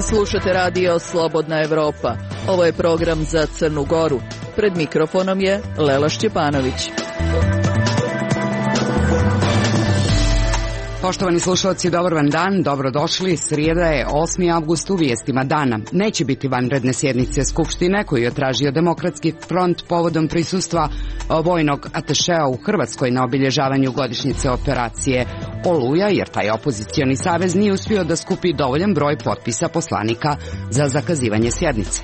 Slušate radio Slobodna Evropa. Ovo je program za Crnu Goru. Pred mikrofonom je Lela Šćepanović. Poštovani slušalci, dobar vam dan, dobrodošli. Srijeda je 8. avgust, u vijestima dana. Neće biti vanredne sjednice Skupštine koju je tražio Demokratski front povodom prisustva vojnog atašea u Hrvatskoj na obilježavanju godišnjice operacije Oluja, jer taj opozicioni savez nije uspio da skupi dovoljan broj potpisa poslanika za zakazivanje sjednice.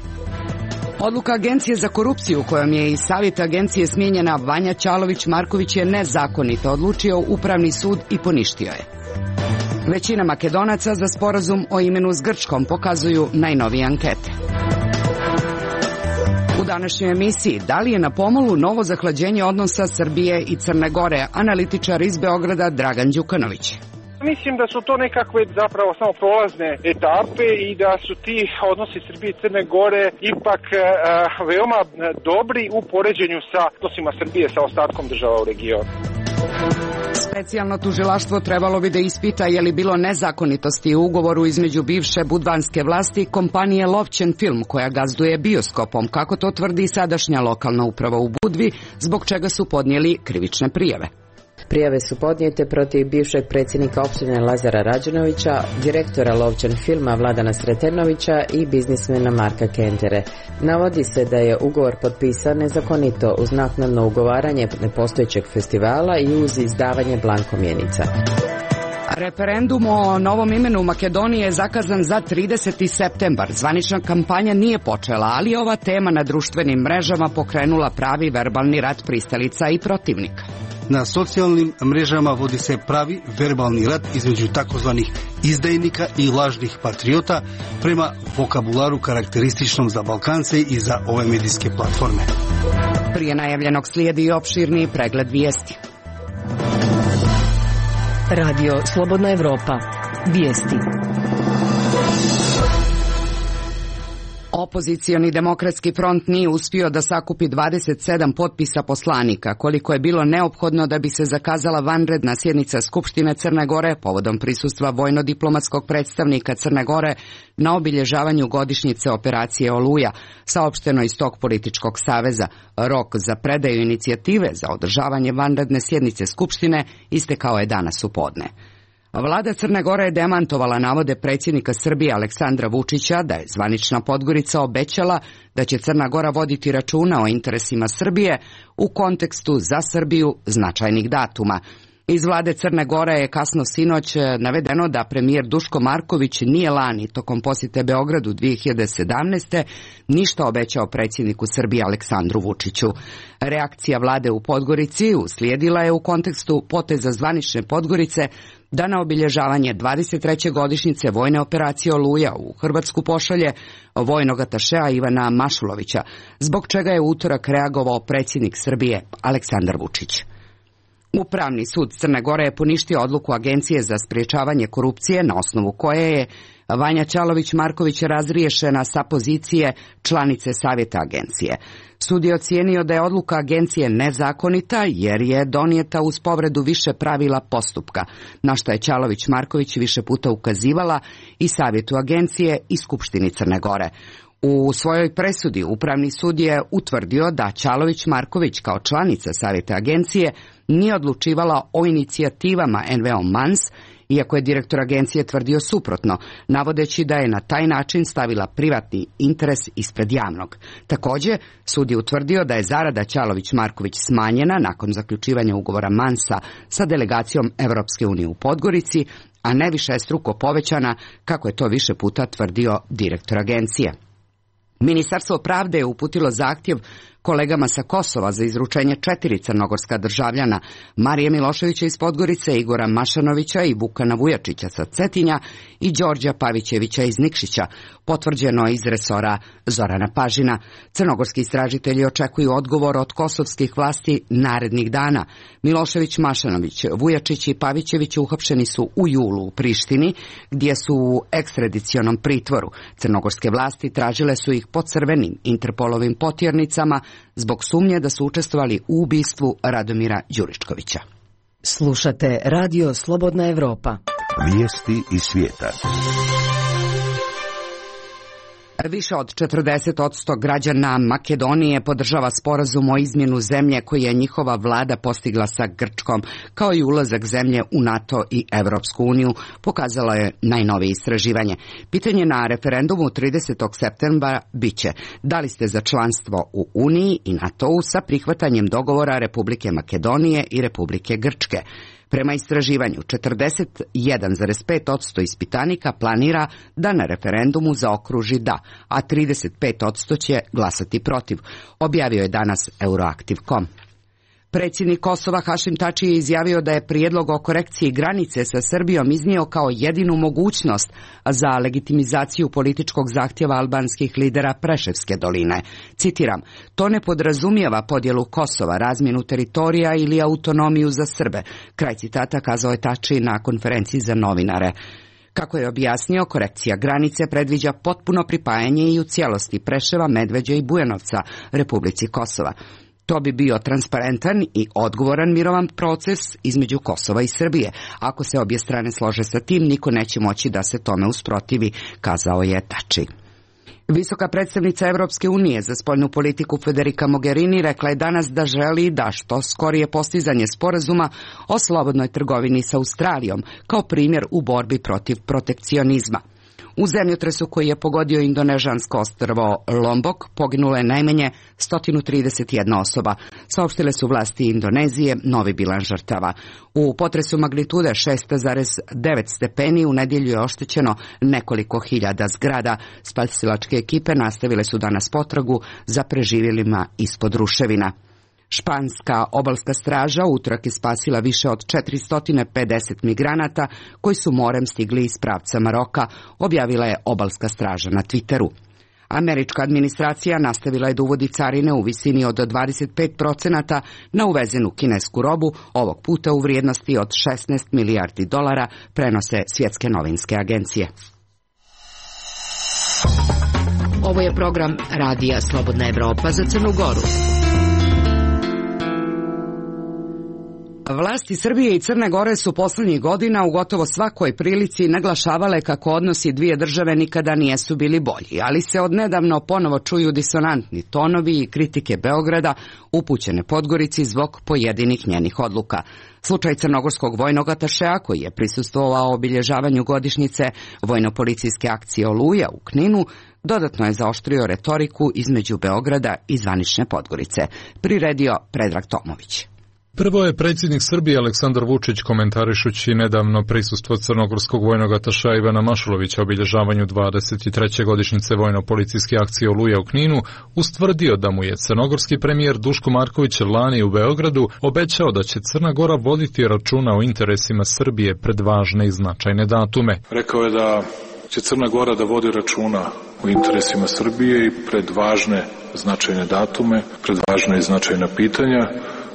Odluka Agencije za korupciju kojom je iz savjeta agencije smijenjena Vanja Ćalović-Marković je nezakonito odlučio Upravni sud i poništio je. Većina Makedonaca za sporazum o imenu s Grčkom pokazuju najnovije ankete. U današnjoj emisiji, da li je na pomolu novo zahlađenje odnosa Srbije i Crne Gore, analitičar iz Beograda Dragan Đukanović. Mislim da su to nekakve zapravo samo prolazne etape i da su ti odnosi Srbije i Crne Gore ipak veoma dobri u poređenju sa odnosima Srbije sa ostatkom država u regionu. Specijalno tužilaštvo trebalo bi da ispita je li bilo nezakonitosti u ugovoru između bivše budvanske vlasti i kompanije Lovćen Film koja gazduje bioskopom, kako to tvrdi sadašnja lokalna uprava u Budvi, zbog čega su podnijeli krivične prijave. Prijave su podnijete protiv bivšeg predsjednika opštine Lazara Rađenovića, direktora Lovćen Filma Vladana Sretenovića i biznismena Marka Kentere. Navodi se da je ugovor potpisan nezakonito uz naknadno ugovaranje nepostojećeg festivala i uz izdavanje blankomjenica. Referendum o novom imenu Makedonije je zakazan za 30. septembar. Zvanična kampanja nije počela, ali ova tema na društvenim mrežama pokrenula pravi verbalni rat pristalica i protivnika. Na socijalnim mrežama vodi se pravi verbalni rat između takozvanih izdajnika i lažnih patriota prema vokabularu karakterističnom za Balkance i za ove medijske platforme. Prije najavljenog slijedi i opširniji pregled vijesti. Radio Slobodna Evropa. Vijesti. Opozicioni Demokratski front nije uspio da sakupi 27 potpisa poslanika, koliko je bilo neophodno da bi se zakazala vanredna sjednica Skupštine Crne Gore povodom prisustva vojno-diplomatskog predstavnika Crne Gore na obilježavanju godišnjice operacije Oluja, saopšteno iz tog političkog saveza. Rok za predaju inicijative za održavanje vanredne sjednice Skupštine istekao je danas u podne. Vlada Crne Gore je demantovala navode predsjednika Srbije Aleksandra Vučića da je zvanična Podgorica obećala da će Crna Gora voditi računa o interesima Srbije u kontekstu za Srbiju značajnih datuma. Iz vlade Crne Gore je kasno sinoć navedeno da premijer Duško Marković nije lani tokom posjete Beogradu 2017. ništa obećao predsjedniku Srbije Aleksandru Vučiću. Reakcija vlade u Podgorici uslijedila je u kontekstu poteza zvanične Podgorice da na obilježavanje 23. godišnjice vojne operacije Oluja u Hrvatsku pošalje vojnog atašea Ivana Mašulovića, zbog čega je u utorak reagovao predsjednik Srbije Aleksandar Vučić. Upravni sud Crne Gore je poništio odluku Agencije za sprječavanje korupcije na osnovu koje je Vanja Ćalović-Marković razriješena sa pozicije članice savjeta agencije. Sud je ocijenio da je odluka agencije nezakonita jer je donijeta uz povredu više pravila postupka, na što je Ćalović-Marković više puta ukazivala i savjetu agencije i Skupštini Crne Gore. U svojoj presudi Upravni sud je utvrdio da Ćalović-Marković kao članica savjeta agencije nije odlučivala o inicijativama NVO Mans, iako je direktor agencije tvrdio suprotno, navodeći da je na taj način stavila privatni interes ispred javnog. Također, sud je utvrdio da je zarada Ćalović-Marković smanjena nakon zaključivanja ugovora Mansa sa delegacijom Europske unije u Podgorici, a ne višestruko povećana, kako je to više puta tvrdio direktor agencije. Ministarstvo pravde je uputilo zahtjev kolegama sa Kosova za izručenje 4 crnogorska državljana, Marije Miloševića iz Podgorice, Igora Mašanovića i Vukana Vujačića sa Cetinja i Đorđa Pavićevića iz Nikšića, potvrđeno iz resora Zorana Pažina. Crnogorski istražitelji očekuju odgovor od kosovskih vlasti narednih dana. Milošević, Mašanović, Vujačić i Pavićević uhapšeni su u julu u Prištini, gdje su u ekstradicionom pritvoru. Crnogorske vlasti tražile su ih po crvenim Interpolovim potjernicama zbog sumnje da su učestvovali u ubistvu Radomira Đuričkovića. Slušate Radio Slobodna Evropa. Vijesti iz svijeta. Više od 40% građana Makedonije podržava sporazum o izmjenu zemlje koji je njihova vlada postigla sa Grčkom, kao i ulazak zemlje u NATO i Evropsku uniju, pokazalo je najnovije istraživanje. Pitanje na referendumu 30. septembra biće: da li ste za članstvo u Uniji i NATO-u sa prihvatanjem dogovora Republike Makedonije i Republike Grčke? Prema istraživanju, 41,5% ispitanika planira da na referendumu zaokruži da, a 35% će glasati protiv, objavio je danas Euroactiv.com. Predsjednik Kosova Hašim Tači je izjavio da je prijedlog o korekciji granice sa Srbijom iznio kao jedinu mogućnost za legitimizaciju političkog zahtjeva albanskih lidera Preševske doline. Citiram: to ne podrazumijeva podjelu Kosova, razmjenu teritorija ili autonomiju za Srbe. Kraj citata, kazao je Tači na konferenciji za novinare. Kako je objasnio, korekcija granice predviđa potpuno pripajanje i u cijelosti Preševa, Medveđe i Bujanovca Republici Kosova. To bi bio transparentan i odgovoran mirovan proces između Kosova i Srbije. Ako se obje strane slože sa tim, niko neće moći da se tome usprotivi, kazao je Tači. Visoka predstavnica Evropske unije za spoljnu politiku Federica Mogherini rekla je danas da želi da što skorije postizanje sporazuma o slobodnoj trgovini sa Australijom, kao primjer u borbi protiv protekcionizma. U zemljotresu koji je pogodio indonežansko ostrvo Lombok poginulo je najmanje 131 osoba, saopštile su vlasti Indonezije novi bilans žrtava. U potresu magnitude 6,9 stepeni u nedjelju je oštećeno nekoliko hiljada zgrada. Spasilačke ekipe nastavile su danas potragu za preživjelima ispod ruševina. Španska obalska straža utorak je spasila više od 450 migranata koji su morem stigli iz pravca Maroka, objavila je obalska straža na Twitteru. Američka administracija nastavila je da uvodi carine u visini od 25% na uvezenu kinesku robu, ovog puta u vrijednosti od $16 milijardi, prenose svjetske novinske agencije. Ovo je program Radija Slobodna Evropa za Crnu Goru. Vlasti Srbije i Crne Gore su posljednjih godina u gotovo svakoj prilici naglašavale kako odnosi dvije države nikada nijesu bili bolji, ali se odnedavno ponovo čuju disonantni tonovi i kritike Beograda upućene Podgorici zbog pojedinih njenih odluka. Slučaj crnogorskog vojnog atašea koji je prisustvovao obilježavanju godišnjice vojno-policijske akcije Oluja u Kninu dodatno je zaoštrio retoriku između Beograda i zvanične Podgorice, priredio Predrag Tomović. Prvo je predsjednik Srbije Aleksandar Vučić, komentarišući nedavno prisustvo crnogorskog vojnog atašea Ivana Mašulovića obilježavanju 23. godišnjice vojno-policijske akcije Oluja u Kninu, ustvrdio da mu je crnogorski premijer Duško Marković lani u Beogradu obećao da će Crna Gora voditi računa o interesima Srbije pred važne i značajne datume. Rekao je da će Crna Gora da vodi računa o interesima Srbije i pred važne značajne datume, pred važne i značajna pitanja,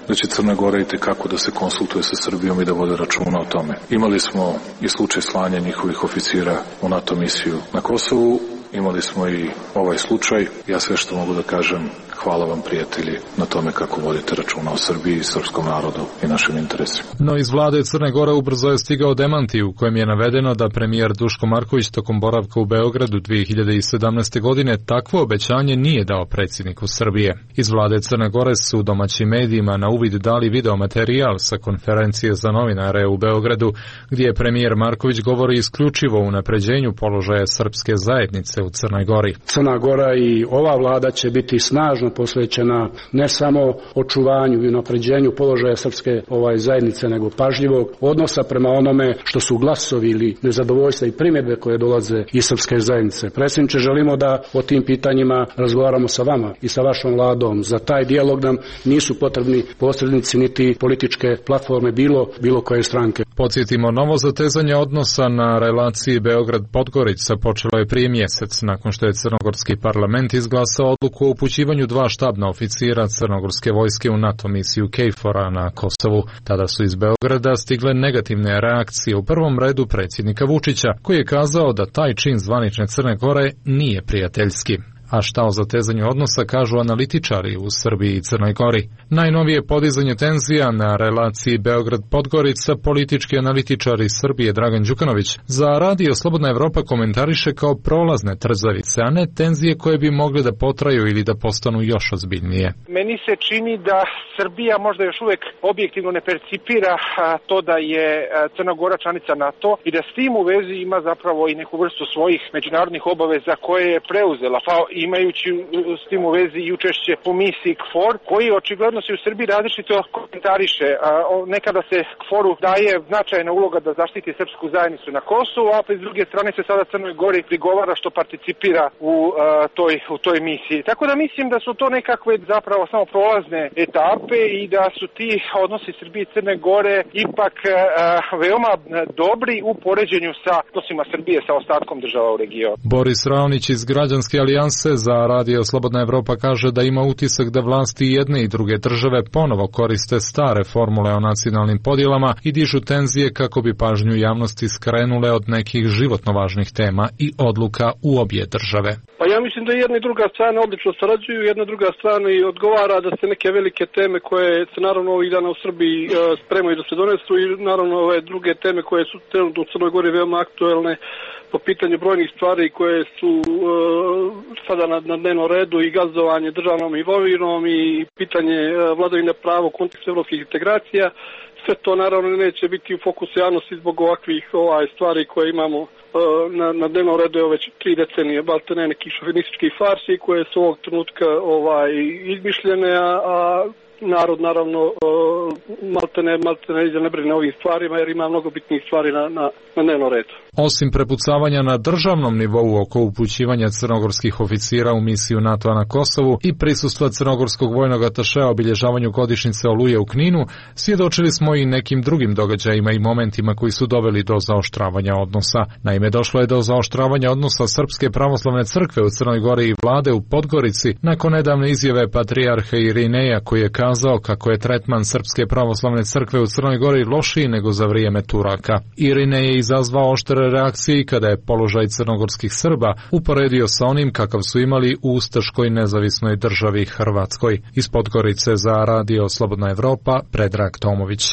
da će Crna Gora itekako da se konsultuje sa Srbijom i da vode računa o tome. Imali smo i slučaj slanja njihovih oficira u NATO misiju na Kosovu, imali smo i ovaj slučaj. Ja sve što mogu da kažem, hvala vam prijatelji na tome kako vodite računa o Srbiji, srpskom narodu i našim interesima. No iz vlade Crne Gore ubrzo je stigao demanti u kojem je navedeno da premijer Duško Marković tokom boravka u Beogradu 2017. godine takvo obećanje nije dao predsjedniku Srbije. Iz vlade Crne Gore su domaćim medijima na uvid dali video materijal sa konferencije za novinare u Beogradu, gdje je premijer Marković govori isključivo o unapređenju položaja srpske zajednice u Crnoj Gori. Crna Gora i ova vlada će biti snažno posvećena ne samo očuvanju i unapređenju položaja srpske zajednice, nego pažljivog odnosa prema onome što su glasovi ili nezadovoljstva i primjedbe koje dolaze iz srpske zajednice. Predsjedniče, želimo da o tim pitanjima razgovaramo sa vama i sa vašom vladom. Za taj dijalog nam nisu potrebni posrednici niti političke platforme bilo koje stranke. Podsjetimo, novo zatezanje odnosa na relaciji Beograd-Podgorica počelo je prije mjesec, nakon što je crnogorski parlament izglasao odluku o upućivanju 2 štabna oficira crnogorske vojske u NATO misiju KFOR-a na Kosovu. Tada su iz Beograda stigle negativne reakcije, u prvom redu predsjednika Vučića, koji je kazao da taj čin zvanične Crne Gore nije prijateljski. A šta o zatezanju odnosa kažu analitičari u Srbiji i Crnoj Gori? Najnovije podizanje tenzija na relaciji Beograd-Podgorica politički analitičar iz Srbije Dragan Đukanović za Radio Slobodna Evropa komentariše kao prolazne trzavice, a ne tenzije koje bi mogle da potraju ili da postanu još ozbiljnije. Meni se čini da Srbija možda još uvek objektivno ne percipira to da je Crna Gora članica NATO i da s tim u vezi ima zapravo i neku vrstu svojih međunarodnih obaveza koje je preuzela, pa imajući s tim u vezi i učešće po misiji KFOR, koji očigledno se u Srbiji različito komentariše. Nekada se KFOR-u daje značajna uloga da zaštiti srpsku zajednicu na Kosovu, a s druge strane se sada Crnoj Gori prigovara što participira u toj misiji. Tako da mislim da su to nekakve zapravo samo prolazne etape i da su ti odnosi Srbije i Crne Gore ipak veoma dobri u poređenju sa odnosima Srbije sa ostatkom država u regionu. Boris Raonić iz Građanske alijanse za Radio Slobodna Evropa kaže da ima utisak da vlasti jedne i druge države ponovo koriste stare formule o nacionalnim podjelama i dižu tenzije kako bi pažnju javnosti skrenule od nekih životno važnih tema i odluka u obje države. Pa ja mislim da jedna i druga strana odlično sarađuju, jedna druga strana i odgovara da se neke velike teme koje se naravno ovih dana u Srbiji spremaju da se donesu i naravno ove druge teme koje su trenutno u Crnoj Gori veoma aktuelne po pitanju brojnih stvari koje su sada na dnevnom redu i gazdovanje državnom imovinom i pitanje vladavine prava u kontekstu evropskih integracija. Sve to naravno neće biti u fokusu javnosti zbog ovakvih stvari koje imamo na dnevnom redu je već 3 decenije, baltene nekih šovinističkih farsi koje su ovog trenutka izmišljene, a narod naravno maltene ne brine o ovim stvarima jer ima mnogo bitnijih stvari na dnevnom redu. Osim prepucavanja na državnom nivou oko upućivanja crnogorskih oficira u misiju NATO-a na Kosovu i prisustva crnogorskog vojnog atašea obilježavanju godišnjice Oluje u Kninu, svjedočili smo i nekim drugim događajima i momentima koji su doveli do zaoštravanja odnosa. Naime, došlo je do zaoštravanja odnosa Srpske pravoslavne crkve u Crnoj Gori i vlade u Podgorici nakon nedavne izjave patrijarha Irineja koji je kazao kako je tretman Srpske pravoslavne crkve u Crnoj Gori lošiji nego za vrijeme Turaka. Irinej je izazvao oštre reakcije kada je položaj crnogorskih Srba uporedio sa onim kakav su imali u ustaškoj nezavisnoj državi Hrvatskoj. Iz Podgorice za Radio Slobodna Evropa, Predrag Tomović.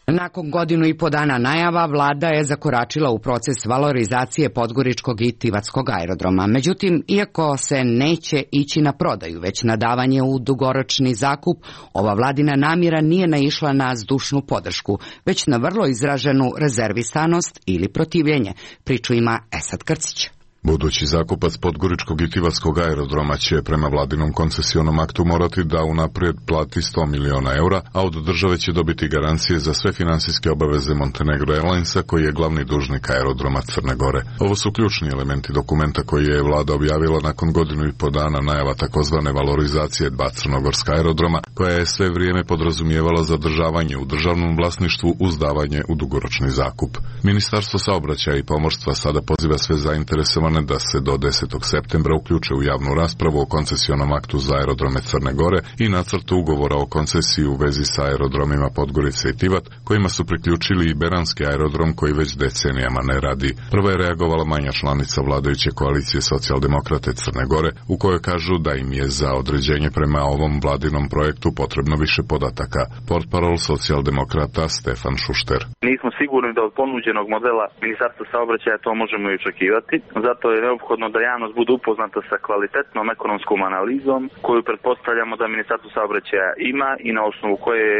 Nakon 1,5 dana najava, vlada je zakoračila u proces valorizacije podgoričkog i tivatskog aerodroma. Međutim, iako se neće ići na prodaju, već na davanje u dugoročni zakup, ova vladina namjera nije naišla na zdušnu podršku, već na vrlo izraženu rezervisanost ili protivljenje. Priču ima Esad Krcić. Budući zakupac podgoričkog i tivatskog aerodroma će prema vladinom koncesionom aktu morati da unaprijed plati 100 miliona eura, a od države će dobiti garancije za sve finansijske obaveze Montenegro Airlinesa koji je glavni dužnik aerodroma Crne Gore. Ovo su ključni elementi dokumenta koji je vlada objavila nakon 1,5 dana najava takozvane valorizacije 2 crnogorska aerodroma, koja je sve vrijeme podrazumijevala zadržavanje u državnom vlasništvu uz davanje u dugoročni zakup. Ministarstvo saobraćaja i pomorstva sada poziva sve zainteresovane da se do 10. septembra uključe u javnu raspravu o koncesionom aktu za aerodrome Crne Gore i nacrtu ugovora o koncesiji u vezi sa aerodromima Podgorica i Tivat, kojima su priključili i Beranski aerodrom koji već decenijama ne radi. Prva je reagovala manja članica vladajuće koalicije Socijaldemokrate Crne Gore, u kojoj kažu da im je za određenje prema ovom vladinom projektu potrebno više podataka. Portparol Socijaldemokrata Stefan Šušter. Nismo sigurni da od ponuđenog modela Ministarstva saobraćaja to možemo i očekivati. Zato je neophodno da javnost bude upoznata sa kvalitetnom ekonomskom analizom koju pretpostavljamo da Ministarstvo saobraćaja ima i na osnovu koje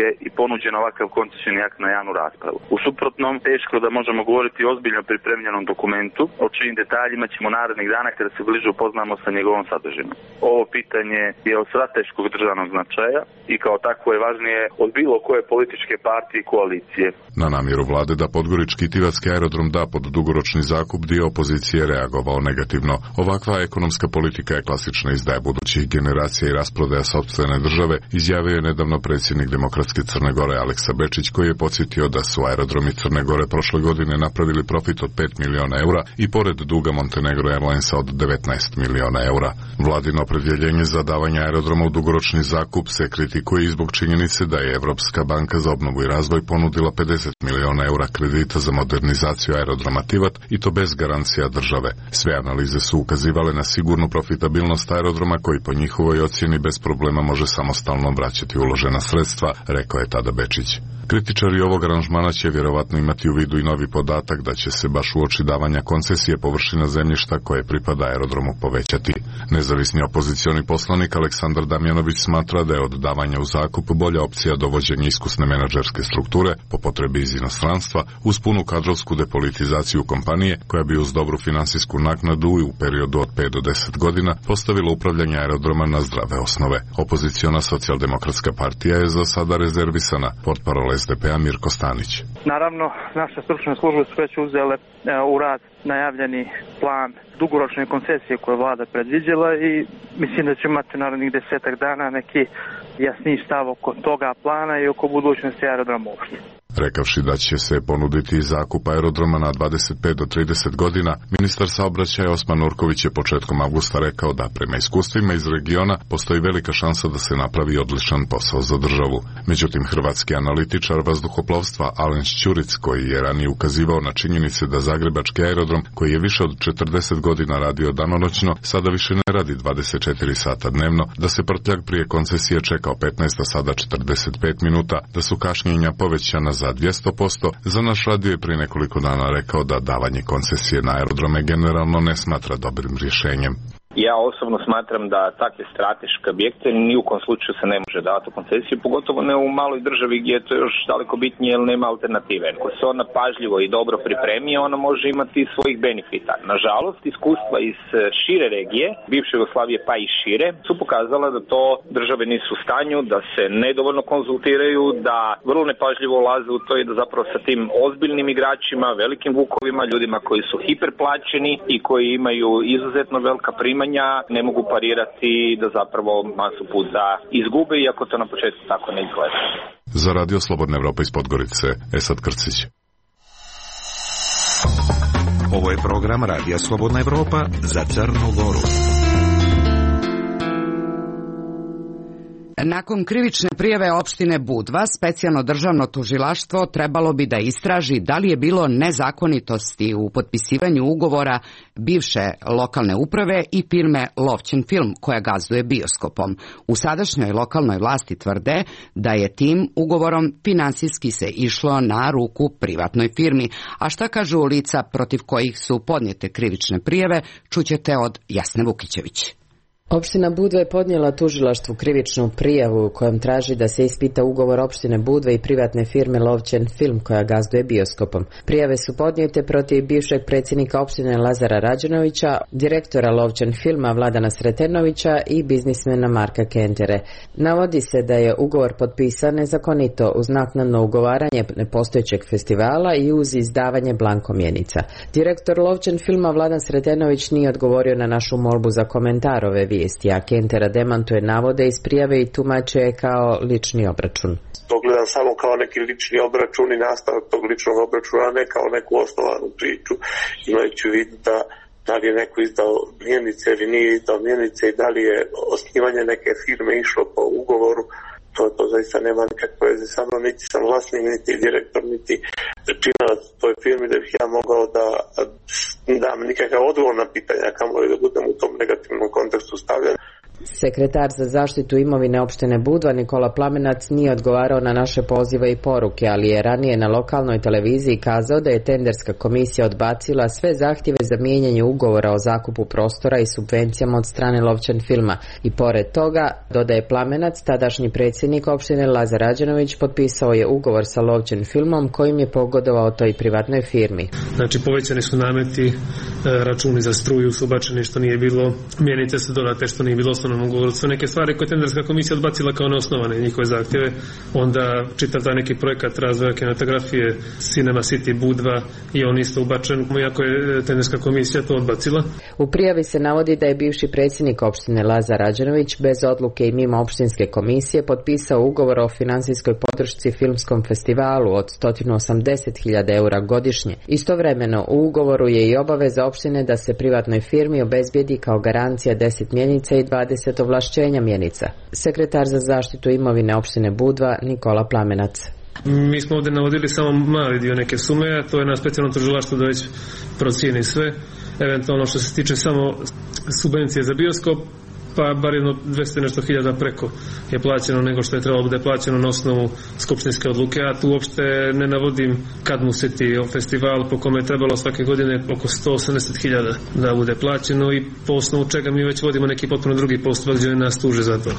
je i ponuđen ovakav koncesioni akt na javnu raspravu. U suprotnom, teško da možemo govoriti o ozbiljno pripremljenom dokumentu, o čijim detaljima ćemo narednih dana kada se bliže upoznamo sa njegovom sadržinom. Ovo pitanje je od strateškog državnog značaja i kao takvo je važnije od bilo koje političke partije i koalicije. Na namjeru vlade da podgorički i tivatski aerodrom da pod dugoročni zakup, dio opozicije reagovao negativno. Ovakva ekonomska politika je klasična izdaja budućih generacija i rasprodaja sopstvene države, izjavio je nedavno predsjednik Demokratske socijaldemokratske Crne Gore Aleksa Bečić, koji je podsjetio da su aerodromi Crne Gore prošle godine napravili profit od 5 miliona eura i pored duga Montenegro Airlinesa od 19 miliona eura. Vladino opredjeljenje za davanje aerodroma u dugoročni zakup se kritikuje i zbog činjenice da je Evropska banka za obnovu i razvoj ponudila 50 miliona eura kredita za modernizaciju aerodroma Tivat i to bez garancija države. Sve analize su ukazivale na sigurnu profitabilnost aerodroma koji po njihovoj ocjeni bez problema može samostalno vraćati uložena sredstva, rekao je tada Bečić. Kritičari ovog aranžmana će vjerovatno imati u vidu i novi podatak da će se baš uoči davanja koncesije površina zemljišta koje pripada aerodromu povećati. Nezavisni opozicioni poslanik Aleksandar Damjanović smatra da je od davanja u zakup bolja opcija dovođenje iskusne menadžerske strukture po potrebi iz inostranstva uz punu kadrovsku depolitizaciju kompanije koja bi uz dobru finansijsku naknadu i u periodu od 5 do 10 godina postavila upravljanje aerodroma na zdrave osnove. Opoziciona socijaldemokratska partija je za sada rezervisana, portparol SDP-a Mirko Stanić. Naravno, naše stručne službe su već uzele u rad najavljeni plan dugoročne koncesije koje vlada predviđala i mislim da će imati narednih 10 dana neki jasniji stav oko toga plana i oko budućnosti aerodroma uopšte. Rekavši da će se ponuditi zakup aerodroma na 25 do 30 godina, ministar saobraćaja Osman Nurković je početkom avgusta rekao da prema iskustvima iz regiona postoji velika šansa da se napravi odličan posao za državu. Međutim, hrvatski analitičar vazduhoplovstva Alen Šćuric, koji je ranije ukazivao na činjenice da zagrebački aerodrom, koji je više od 40 godina radio danonoćno, sada više ne radi 24 sata dnevno, da se prtljag prije koncesije čekao 15, a sada 45 minuta, da su kašnjenja povećana za 200%, za naš radio je prije nekoliko dana rekao da davanje koncesije na aerodrome generalno ne smatra dobrim rješenjem. Ja osobno smatram da takve strateške objekte ni u kom slučaju se ne može davati u koncesiju, pogotovo ne u maloj državi gdje je to još daleko bitnije jer nema alternative. Ako se ona pažljivo i dobro pripremi, ona može imati svojih benefita. Nažalost, iskustva iz šire regije, bivše Jugoslavije pa i šire, su pokazala da to države nisu u stanju, da se nedovoljno konzultiraju, da vrlo nepažljivo ulaze u to i da zapravo sa tim ozbiljnim igračima, velikim vukovima, ljudima koji su hiperplaćeni i koji imaju izuzetno velika primanja, ne mogu parirati da zapravo masu puta izgube, iako to na početku tako ne izgleda. Za Radio Slobodna Evropa iz Podgorice, Esad Krcić. Ovo je program Radija Slobodna Evropa za Crnu Goru. Nakon krivične prijave opštine Budva, specijalno državno tužilaštvo trebalo bi da istraži da li je bilo nezakonitosti u potpisivanju ugovora bivše lokalne uprave i firme Lovćen film koja gazduje bioskopom. U sadašnjoj lokalnoj vlasti tvrde da je tim ugovorom finansijski se išlo na ruku privatnoj firmi. A šta kažu lica protiv kojih su podnijete krivične prijave, čućete od Jasne Vukićević. Opština Budva je podnijela tužilaštvu krivičnu prijavu kojom traži da se ispita ugovor opštine Budva i privatne firme Lovćen film koja gazduje bioskopom. Prijave su podnijete protiv bivšeg predsjednika opštine Lazara Rađenovića, direktora Lovćen filma Vladana Sretenovića i biznismena Marka Kentere. Navodi se da je ugovor potpisan nezakonito uz naknadno ugovaranje nepostojećeg festivala i uz izdavanje blankomjenica. Direktor Lovćen filma Vladan Sretenović nije odgovorio na našu molbu za komentar ove vijesti, a Kentera demantuje navode iz prijave i tumače je kao lični obračun. To gledam samo kao neki lični obračun i nastavak tog ličnog obračuna, a ne kao neku osnovanu priču, imajući u vidu da li je neko izdao mjenice ili nije izdao mjenice i da li je osnivanje neke firme išlo po ugovoru. To zaista nema nikakve veze sa mnom, niti sam vlasnik, niti direktor, niti činalac toj firmi da bih ja mogao da dam nikakav odgovor na pitanja, kamoli da budem u tom negativnom kontekstu stavljen. Sekretar za zaštitu imovine opštine Budva Nikola Plamenac nije odgovarao na naše pozive i poruke, ali je ranije na lokalnoj televiziji kazao da je tenderska komisija odbacila sve zahtjeve za mijenjanje ugovora o zakupu prostora i subvencijama od strane Lovćen filma. I pored toga, dodaje Plamenac, tadašnji predsjednik opštine Lazar Rađenović potpisao je ugovor sa Lovćen filmom kojim je pogodovao toj privatnoj firmi. Znači povećani su nameti, računi za struju su ubačeni što nije bilo, mjenice su dodate što nije bilo osnovnom ugovoru. Sve neke stvari koje tenderska komisija odbacila kao neosnovane njihove zahtjeve, onda čitav taj neki projekat razvoja kinematografije Cinema City Budva i on isto ubačen, iako je tenderska komisija to odbacila. U prijavi se navodi da je bivši predsjednik opštine Lazar Rađenović bez odluke i mimo opštinske komisije potpisao ugovor o finansijskoj podršci filmskom festivalu od 180.000 eura godišnje. Istovremeno u ugovoru je i obaveza opštine da se privatnoj firmi obezbijedi kao garancija 10 mjenica i 20 ovlašćenja mjenica. Sekretar za zaštitu imovine opštine Budva Nikola Plamenac. Mi smo ovdje navodili samo mali dio neke sume, a to je na specijalnom tužilaštvu da već procijeni sve. Eventualno što se tiče samo subvencije za bioskop, pa bar jedno 200 nešto hiljada preko je plaćeno nego što je trebalo bude plaćeno na osnovu skupštinske odluke, a tu uopšte ne navodim kad mu se ti festival po kome je trebalo svake godine oko 180.000 da bude plaćeno i po osnovu čega mi već vodimo neki potpuno drugi postupak gdje nas tuže za to,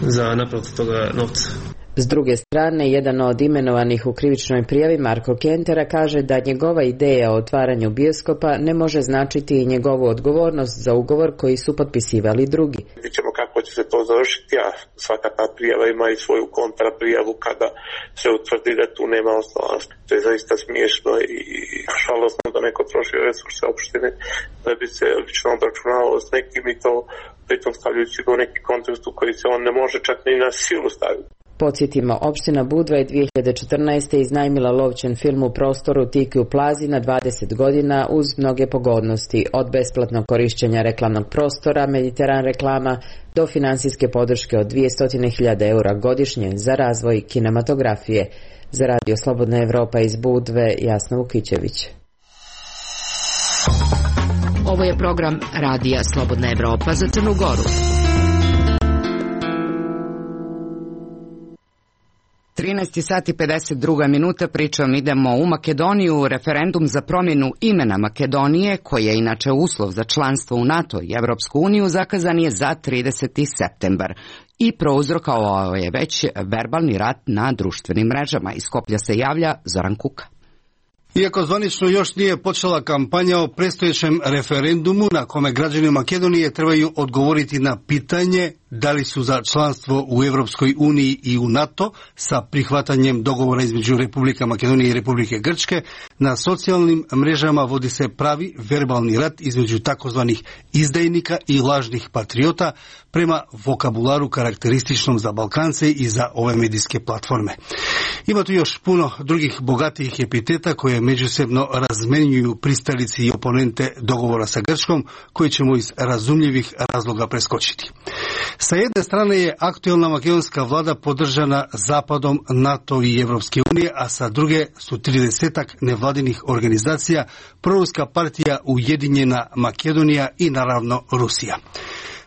za naplatu toga novca. S druge strane, jedan od imenovanih u krivičnoj prijavi, Marko Kentera, kaže da njegova ideja o otvaranju bioskopa ne može značiti i njegovu odgovornost za ugovor koji su potpisivali drugi. Vidjet ćemo kako će se to završiti, a svaka ta prijava ima i svoju kontraprijavu kada se utvrdi da tu nema osnovanosti. To je zaista smiješno i žalosno da neko troši resurse opštine da bi se lično obračunavao s nekim i to pritom stavljajući ga u neki kontekst u koji se on ne može čak ni na silu staviti. Podsjetimo, opština Budva je 2014. iznajmila lovčan film u prostoru Tiki u Plazi na 20 godina uz mnoge pogodnosti, od besplatnog korišćenja reklamnog prostora, Mediteran reklama, do finansijske podrške od 200.000 eura godišnje za razvoj kinematografije. Za Radio Slobodna Evropa iz Budve, Jasna Vukićević. Ovo je program Radija Slobodna Evropa za Crnu Goru. 13 sati 52 minuta, pričom idemo u Makedoniju. Referendum za promjenu imena Makedonije, koji je inače uslov za članstvo u NATO i Evropsku uniju, zakazan je za 30. septembar. I prouzrokovao je već verbalni rat na društvenim mrežama. Iz Skoplja se javlja Zoran Kuka. Iako zvanično još nije počela kampanja o predstojećem referendumu na kome građani Makedonije trebaju odgovoriti na pitanje da li su za članstvo u Evropskoj uniji i u NATO sa prihvatanjem dogovora između Republika Makedonije i Republike Grčke, na socijalnim mrežama vodi se pravi verbalni rat između takozvanih izdajnika i lažnih patriota prema vokabularu karakterističnom za Balkance i za ove medijske platforme. Ima tu još puno drugih bogatijih epiteta koje međusobno razmenjuju pristalici i oponente dogovora sa Grčkom, koji ćemo iz razumljivih razloga preskočiti. Sa jedne strane je aktualna makedonska vlada podržana Zapadom, NATO i Evropske unije, a sa druge su 30-ak nevladinih organizacija, proruska partija Ujedinjena Makedonija i naravno Rusija.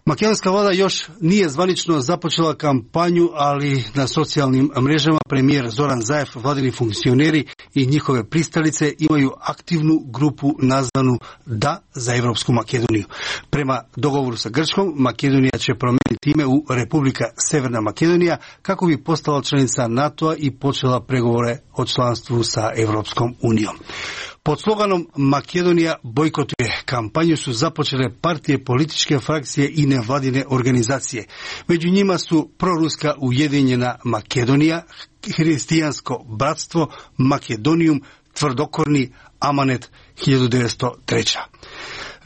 Makedonska vlada još nije zvanično započela kampanju, ali na socijalnim mrežama premijer Zoran Zaev, vladini funkcioneri i njihove pristalice imaju aktivnu grupu nazvanu Da za Evropsku Makedoniju. Prema dogovoru sa Grčkom, Makedonija će promijeniti ime u Republika Severna Makedonija kako bi postala članica NATO-a i počela pregovore o članstvu sa Evropskom unijom. Pod sloganom Makedonija bojkotuje kampanju su započele partije, političke frakcije i nevladine organizacije. Među njima su proruska Ujedinjena Makedonija, Hristijansko bratstvo, Makedonijum, tvrdokorni Amanet 1903.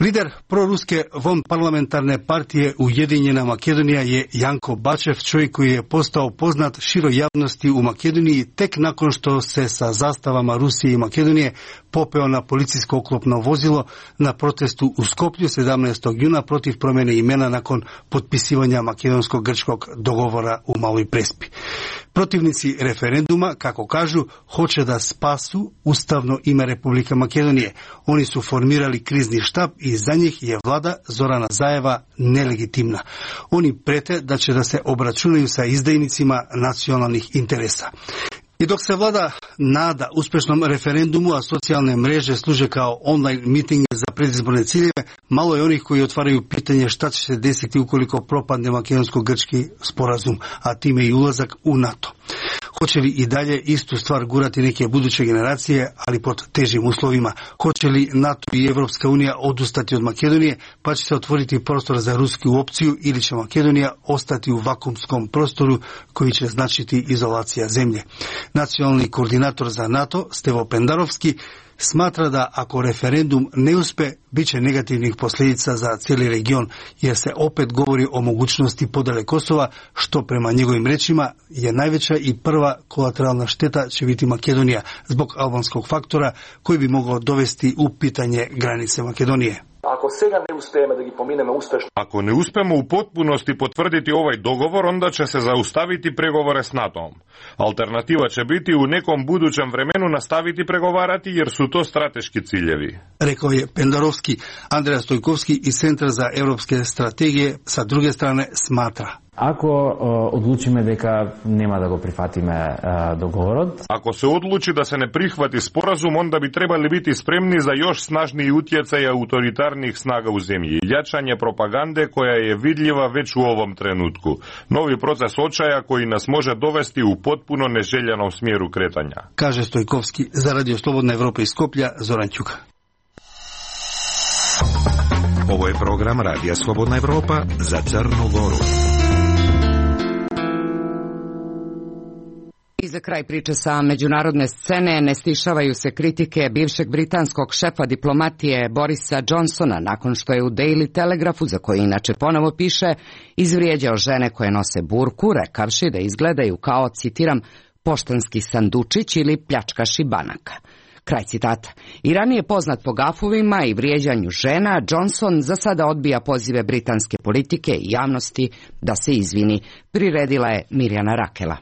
Lider proruske vanparlamentarne partije Ujedinjena Makedonija je Janko Bačev, čovjek koji je postao poznat široj javnosti u Makedoniji tek nakon što se sa zastavama Rusije i Makedonije popeo na policijsko oklopno vozilo na protestu u Skoplju 17. juna protiv promjene imena nakon potpisivanja makedonsko-grčkog dogovora u Maloj Prespi. Protivnici referenduma, kako kažu, hoće da spasu ustavno ime Republike Makedonije. Oni su formirali krizni štab i za njih je vlada Zorana Zajeva nelegitimna. Oni prete da će da se obračunaju sa izdajnicima nacionalnih interesa. I dok se vlada nada uspješnom referendumu, a socijalne mreže služe kao online mitinge za predizborne ciljeve, malo je onih koji otvaraju pitanje šta će se desiti ukoliko propadne makedonsko-grčki sporazum, a time i ulazak u NATO. Hoće li i dalje istu stvar gurati neke buduće generacije, ali pod težim uslovima? Hoće li NATO i Evropska unija odustati od Makedonije, pa će se otvoriti prostor za rusku opciju, ili će Makedonija ostati u vakuumskom prostoru koji će značiti izolacija zemlje? Nacionalni koordinator za NATO, Stevo Pendarovski, smatra da ako referendum ne uspe, bit će negativnih posljedica za cijeli region, jer se opet govori o mogućnosti podele Kosova, što prema njegovim rečima je najveća i prva kolateralna šteta će biti Makedonija, zbog albanskog faktora koji bi mogao dovesti u pitanje granice Makedonije. Ako ne uspemo u potpunosti potvrditi ovaj dogovor, onda će se zaustaviti pregovore s NATO-om. Alternativa će biti u nekom budućem vremenu nastaviti pregovarati, jer su to strateški ciljevi. Rekao je Pendarovski. Andreja Stojkovski iz Centra za europske strategije sa druge strane smatra: Ako odlučime дека нема да го прифатиме договорот. Ako se odluči da se ne prihvati sporazum, onda bi trebali biti spremni za još snažniji utjecaj autoritarnih snaga u zemlji. Jačanje propagande koja je vidljiva već u ovom trenutku. Novi proces očaja koji nas može dovesti u potpuno neželjenom smjeru kretanja. Kaže Stojkovski. Za Radio Slobodna Evropa iz Skoplja, Zoran Ćuka. Ovo je program Radija Slobodna Evropa za Crnu Goru. I za kraj priče sa međunarodne scene ne stišavaju se kritike bivšeg britanskog šefa diplomatije Borisa Johnsona nakon što je u Daily Telegraphu, za koji inače ponovo piše, izvrijeđao žene koje nose burku, rekavši da izgledaju kao, citiram, poštanski sandučić ili pljačkaši banaka. Kraj citata. I ranije poznat po gafovima i vrijeđanju žena, Johnson za sada odbija pozive britanske politike i javnosti da se izvini. Priredila je Mirjana Rakela.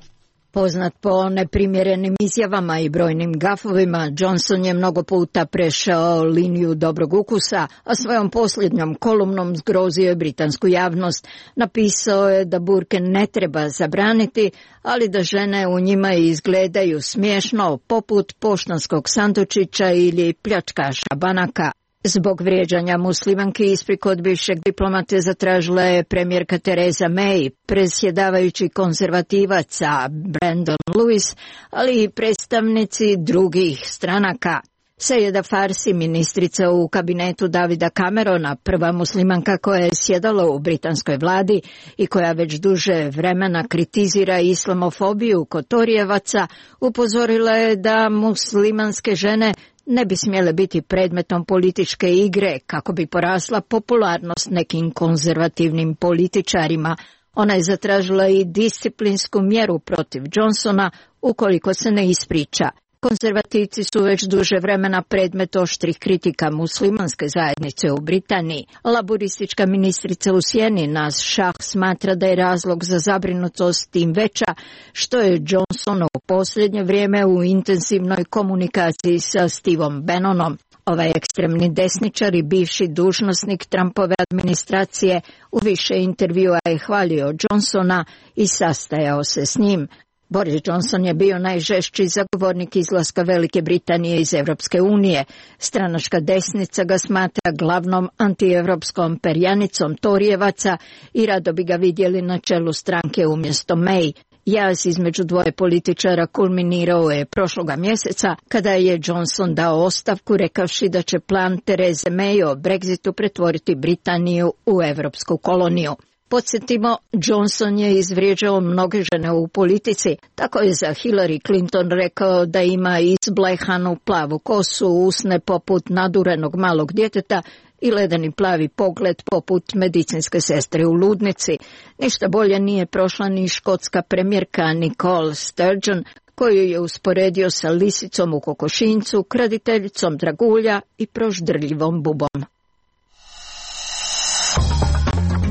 Poznat po neprimjerenim izjavama i brojnim gafovima, Johnson je mnogo puta prešao liniju dobrog ukusa, a svojom posljednjom kolumnom zgrozio je britansku javnost. Napisao je da burke ne treba zabraniti, ali da žene u njima izgledaju smiješno, poput poštanskog sandučića ili pljačkaša banaka. Zbog vrijeđanja muslimanki ispriku od bivšeg diplomate zatražila je premijerka Theresa May, predsjedavajući konzervativaca Brandon Lewis, ali i predstavnici drugih stranaka. Sejeda Farsi, ministrica u kabinetu Davida Camerona, prva muslimanka koja je sjedala u britanskoj vladi i koja već duže vremena kritizira islamofobiju kod Torijevaca, upozorila je da muslimanske žene ne bi smjele biti predmetom političke igre kako bi porasla popularnost nekim konzervativnim političarima. Ona je zatražila i disciplinsku mjeru protiv Johnsona ukoliko se ne ispriča. Konzervativci su već duže vremena predmet oštrih kritika muslimanske zajednice u Britaniji. Laburistička ministrica u sjeni Naz Shah smatra da je razlog za zabrinutost tim veća što je Johnson u posljednje vrijeme u intenzivnoj komunikaciji sa Steveom Bannonom. Ovaj ekstremni desničar i bivši dužnosnik Trumpove administracije u više intervjua je hvalio Johnsona i sastajao se s njim. Boris Johnson je bio najžešći zagovornik izlaska Velike Britanije iz Europske unije. Stranačka desnica ga smatra glavnom antievropskom perjanicom Torijevaca i rado bi ga vidjeli na čelu stranke umjesto May. Jaz između dvoje političara kulminirao je prošloga mjeseca kada je Johnson dao ostavku rekavši da će plan Therese May o Brexitu pretvoriti Britaniju u europsku koloniju. Podsjetimo, Johnson je izvrijeđao mnoge žene u politici. Tako je za Hillary Clinton rekao da ima izblejhanu plavu kosu, usne poput nadurenog malog djeteta i ledeni plavi pogled poput medicinske sestre u ludnici. Ništa bolje nije prošla ni škotska premijerka Nicola Sturgeon, koju je usporedio sa lisicom u kokošinjcu, kraditeljicom dragulja i proždrljivom bubom.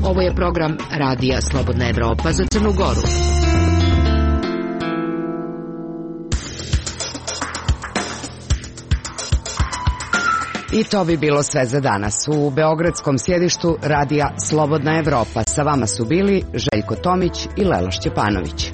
Ovo je program Radija Slobodna Evropa za Crnu Goru. I to bi bilo sve za danas. U beogradskom sjedištu Radija Slobodna Evropa sa vama su bili Željko Tomić i Lelo Šćepanović.